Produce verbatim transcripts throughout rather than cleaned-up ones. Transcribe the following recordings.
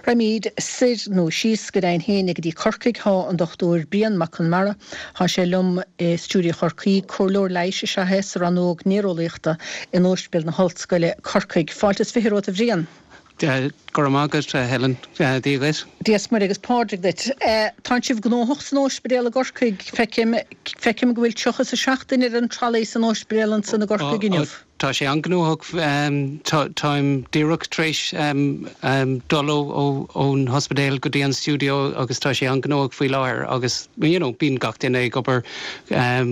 Raghaimid soir nó síos go deimhin féin go dtí Corcaigh tá an Dochtúir Brian Mac Conmara Tá sé liom i stiúideo Chorcaí comhairleoir leighis is ea é sa rannóg néareolaíochta in Ospidéal na hOllscoile Corcaigh. Fáilte is fiche romhat a Bhriain. Go raibh maith agat Helen Dia duit. Dia is Muire agus Pádraig duit. Tá sibh gnóthach san ospidéal i gCorcaigh feicim feicim go bhfuil tríocha is a seacht duine ar an trolley san ospidéal ansan i gCorcaigh inniu. Tá sé an-ghnóthach táim díreach tar éis dul ón ospidéal go dtí an stiúideo agus tá sé an-ghnóthach faoi láthair agus you know, bíonn gach duine ag obair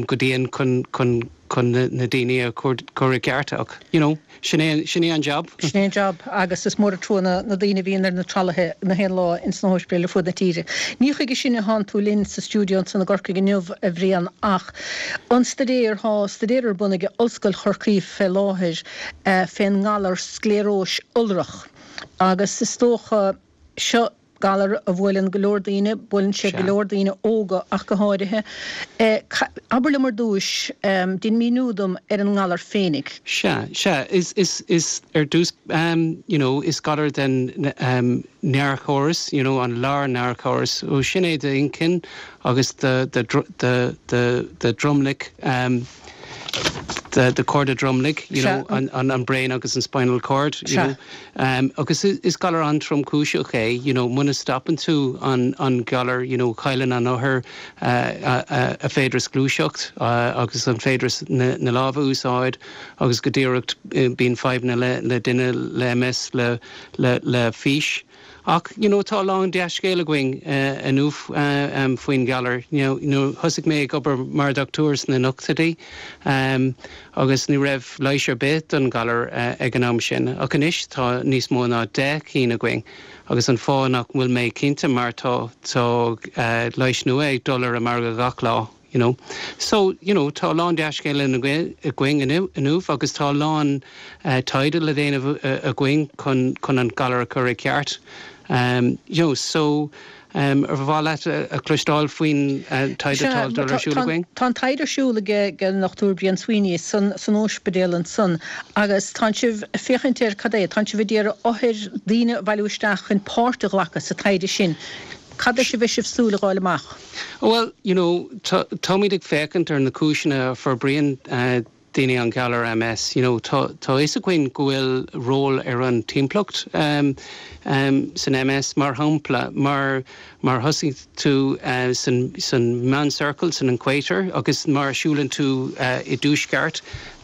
go dian chun chun chun na daoine a chur i gceart ach you know, sin é an job. Sin é an job agus is mór trua na na daoine bhíonn ar na tralaithe na haon lá in sna hospidéil ar fud na tíre. Ní chuige sin atá tú linn sa stiúideo ansan i gCorcaigh inniu a Bhriain ach an staidéar tá staidéar ar bun ag Ollscoil Chorcaí fé láthair uh, fén ngalar scléaróis iolrach. Agus is dócha seo galar a bhuaileann go leor daoine, buaileann sé go leor daoine óga ach go háirithe. Eh, Abair liom ar dtús um, déan míniú dom ar an ngalar féinig. Sea, sea is, is, is ar dtús um, you know, is galar den um, néarchóras, you know, an lár néarchóras ó sin é d'inchinn agus de, de, de, de, de dromlach um, the the chorda dromlaigh you know an, an an brain agus an spinal cord you know um, agus is, is galar an-tromchúiseach é you know muna stopann tú an an galar you know cailleann an othar uh, uh, a féidir gluaiseacht uh, agus an féidir na, na lámha úsáid agus go díreach uh, bíonn fadhbanna le le duine le MS le le le fís. Ach you know, tá lán dea-scéal againn uh, inniu uh, um, faoin galar. You know, you know, thosaigh mé ag obair mar dochtúir sna nóchaidí um, agus ní raibh leigheas ar bith don galar uh, ag an am sin. Ach anois tá níos mó ná deich cinn againn. agus an fáth nach bhfuil mé cinnte mar tá tá uh, leigheas nua ag dul ar an margadh gach lá. You know. So you know, tá lán dea-scéal againn inniu agus tá lán uh, taighde le déanamh uh, againn chun chun an galar a chur i gceart. Um, you know, so um, ar mhaith leat a chloisteáil faoin uh, taighde ar siúl againn? Tá taighde ar siúl ag an ndochtúir Brian Sweeney san san ospidéal ansan agus tá sibh féachaint ar cad é, tá sibh ag iarraidh othair daoine a bhailiú isteach chun páirt a ghlacadh sa taighde sin. Cad é a bhí sibh súil le fáil amach? Well, you know, táimid ag féachaint ar na cúiseanna a forbraíonn uh, daoine an galar MS, you know, tá fhios againn go bhfuil ról ar an timpeallacht um, um, san MS mar shampla mar mar thosaigh tú uh, san, san meánciorcal san equator agus mar siúlann tú uh, i dtuaisceart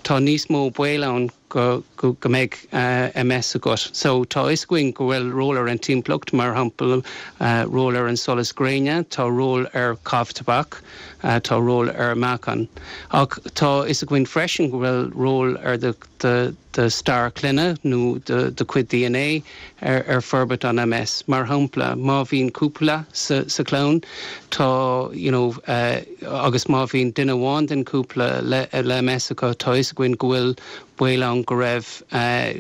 tá níos mó baol ann go, go, go mbeidh uh, MS agat. So tá fhios againn go bhfuil ról ar an timpeallacht mar shampla uh, ról ar an solas gréine, tá ról ar caitheamh tobac, uh, tá ról ar meáchan. Ach tá fhios againn freisin go bhfuil ról ar de, de, de stair clainne nó de, de chuid DNA ar, ar forbairt an MS. Mar shampla má bhíonn cúpla sa, sa chlann tá you know, uh, agus má bhíonn duine amháin den cúpla le, le MS acu tá fhios againn go bhfuil baol ann go raibh uh,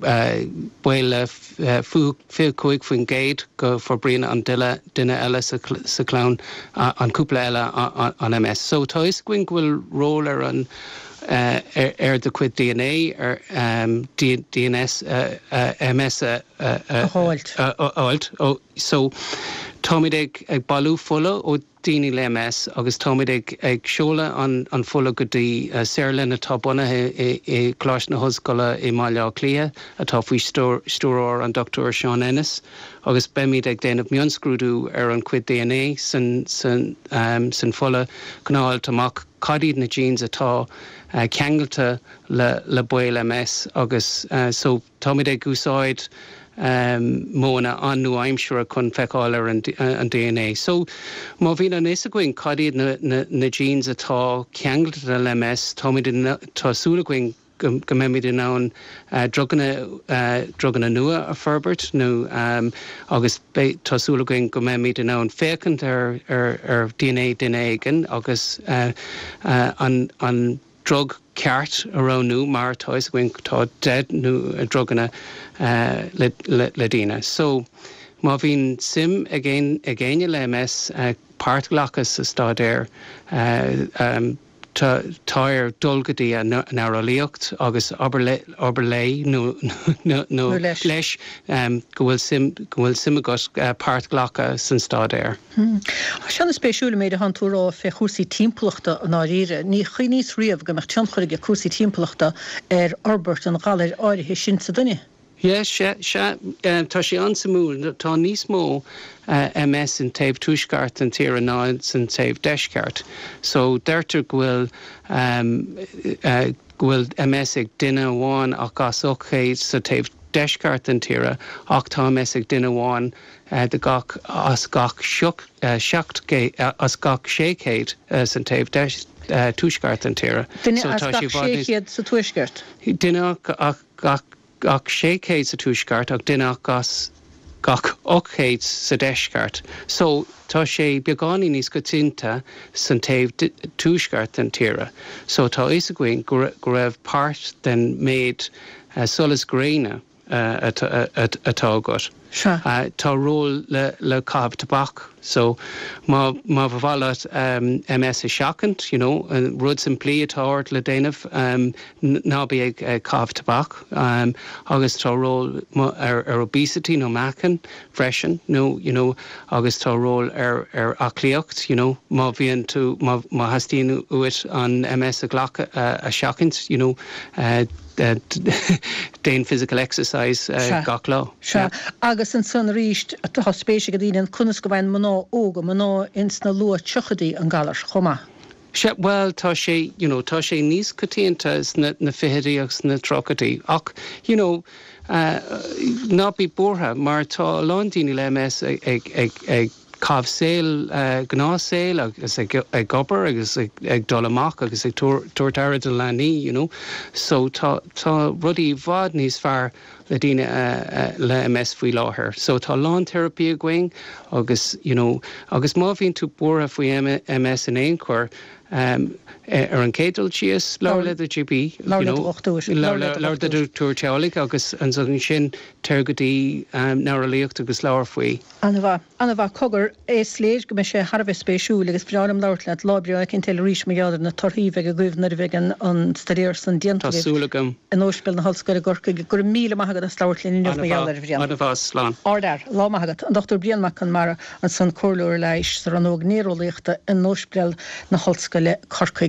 uh, baol le uh, fiche cúig faoin gcéad go forbraíonn an duine duine eile sa, sa chlann uh, an cúpla eile an MS. So tá fhios againn go bhfuil ról ar an uh, ar, ar de chuid DNA ar um, D, DNS uh, uh, MS a fháilt. Oh, so táimid ag ag bailiú fola ó daoine le MS agus táimid ag ag seoladh an, an fola go dtí uh, saotharlann atá bunaithe i, i gColáiste na hOllscoile i mBaile Átha Cliath atá faoi stiúir an Dr Sean Ennis agus beimid ag déanamh mionscrúdú ar an chuid DNA san, san, um, san fola chun fáil amach cad iad na genes atá uh, ceangailte le, le baol MS agus uh, so táimid ag úsáid um, modhanna an-nua-aimseartha chun feiceáil ar an, an DNA. So má bhíonn an fhios againn cad iad na, na, na genes atá ceangailte le MS tá súil againn go go mbeimid in ann uh, druganna uh, druganna nua a forbairt nó um, agus tá súil againn go mbeimid in ann féachaint ar, ar, ar DNA duine éigin agus uh, uh, an, an drug ceart a roghnú mar tá againn tá deich nó druganna uh, le, le, le daoine. So má bhíonn suim ag ag éinne le MS uh, páirt a ghlacadh sa staidéar uh, um, tá tá air dul go dtí an néareolaíocht agus abair léi nó leis um, go bhfuil suim go bhfuil suim agat uh, páirt ghlacadh san staidéar. Hmm. Sin an-spéisiúil méid atá tú a rá fé chúrsaí timpeallachta i ndáiríre, ní chuimhníos riamh go mbeadh tionchar ag cúrsaí timpeallachta ar fhorbairt an ghalair áirithe sin sa duine. Yes, sé sé um, tá sé an-suimiúil tá níos mó uh, MS in taobh tuaisceart an tíre ná san taobh deisceart. So deirtear go bhfuil um, uh, go bhfuil MS ag duine amháin ach as ocht chéad sa taobh deisceart an tíre ach tá MS ag duine amháin uh, de gach as gach uh, seacht uh, as gach sé chéad uh, san taobh deis uh, tuaisceart an tíre. Duine so, as gach sé chéad sa tuaisceart. Duine ach gach gach sé chéad sa tuaisceart ach duine as gach ocht chéad sa deisceart. So tá sé beagáinín níos coitianta san taobh tuaisceart an tíre. So tá fhios againn go raibh páirt den méid uh, solas gréine uh, atá agat. Uh, tá ról le, le caitheamh tobac so má má ba mhaith leat um, MS a sheachaint you know, rud simplí atá ort le déanamh um, ná bí ag uh, caitheamh tobac um, agus tá ról ar, ar obesity nó meáchan freisin nó you know, agus tá ról ar, ar aclaíocht you know, má bhíonn tú má, má theastaíonn uait an MS a ghlacadh uh, a sheachaint you know, uh, uh, déan physical exercise uh, gach lá. Yeah. Agus ansan arís tá spéis ag daoine conas go bhfaigheann mná óga mná ins na luath tríochaidí an galar chomh maith. Sé well tá sé you know, tá sé níos coitianta na, na fichidí agus na tríochaidí ach you know, uh, ná bí buartha mar tá lán daoine le MS ag, ag, ag, ag caitheamh saol uh, gnáthshaol agus ag, ag obair agus ag, ag dul amach agus ag tabhairt aire do leanaí you know. so tá, tá rudaí i bhfad níos fearr le daoine uh, uh, le MS faoi láthair. So tá lán teiripí againn agus you know, agus má bhíonn tú buartha faoi MS in aon chor, um, ar an chéad dul síos labhair le do GP labhair le do dochtúir agus ansan sin téir go dtí um, néareolaíocht agus labhair faoi. An-mhaith an-mhaith cogar is léir go mbeidh sé thar a bheith spéisiúil agus breá liom labhairt leat lá breá éicint eile arís mar gheall ar na torthaí a bheidh agaibh nuair a bheidh an an staidéar san déanta Tá súil agam. In Ospidéal na hOllscoile i gCorcaigh go raibh míle maith agat as labhairt linn inniu mar gheall air a Bhriain. An-mhaith slán. Ardfhear lá maith agat an Dr Brian Mac Conmara ansan comhairleoir leighis sa rannóg néareolaíochta in Ospidéal na hOllscoile Corcaigh.